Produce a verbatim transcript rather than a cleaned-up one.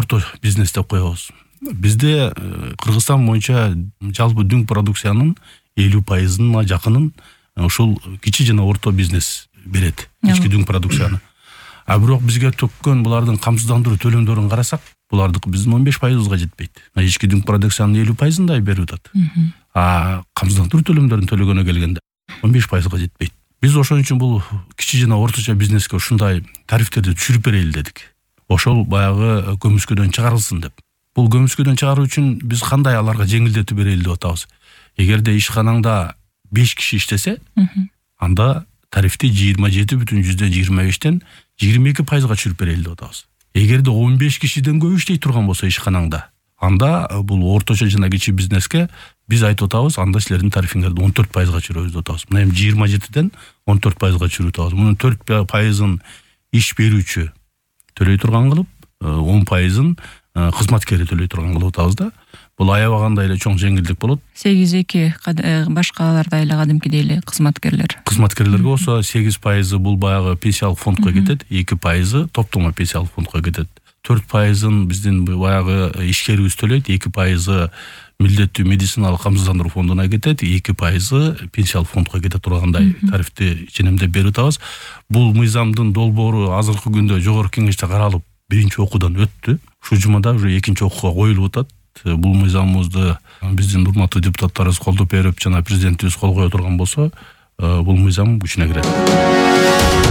орто бизнес деп коебуз. Бизде Кыргызстан боюнча жалпы дүң продукциянын элүү пайызына жакынын ушул кичи жана орто бизнес берет, ички дүң продукцияны. А бирок бизге төккөн булардын камсыздандыруу төлөмдөрүн карасак, булардыкы биздин он беш пайызыбызга жетпейт. Ички дүң продукциянын элүү пайызындай берип атат. А камсыздандыруу төлөмдөрүн төлөгөнө келгенде он беш пайызга жетпейт. Биз ошон үчүн бул кичи жана орточо бизнеске ушундай тарифтерди түшүрүп берели дедик. Ошол баягы көмүскөдөн чыгарылсын деп. Бул көмүскөдөн чыгаруу үчүн биз кандай аларга жеңилдетип берели деп атабыз. Эгерде ишканаңда беш киши иштесе, анда тарифти жыйырма жети бүтүн жүздөн жыйырма бештен жыйырма эки пайызга түшүрүп берели деп атабыз. Эгерде он беш кишиден көп иштей турган болсо ишканаңда, анда бул орточо жана кичи бизнеске биз айтып атабыз, анда силердин тарифиңерди он төрт пайызга түшүрөбүз деп атабыз. Мына эми жыйырма жетиден он төрт пайызга түшүрүп атабыз. Мунун төрт пайызын иш берүүчү төлөй турган кылып, он пайызын кызматкери төлөй турган кылып атабыз да. Бул аябагандай эле чоң жеңилдик болот. сегиз эки башкаларда эле кадимкидей эле кызматкерлер. Кызматкерлерге болсо сегиз пайызы бул баягы пенсиялык фондко кетет, эки пайызы топтомо пенсиялык фондко кетет. төрт пайызын биздин баягы ишкерибиз төлөйт, эки пайызы милдеттүү медициналык камсыздандыруу фондуна кетет, эки пайызы пенсиялык фондко кете тургандай тарифти ченемдеп берип атабыз. Бул мыйзамдын долбоору азыркы күндө жогорку кеңеште каралып, биринчи окуудан өттү. Ушул жумада уже экинчи окууга коюлуп атат. Бул мыйзамыбызды биздин урматтуу депутаттарыбыз колдоп берип, жана президентибиз кол кое турган болсо, бул мыйзам күчүнө кирет.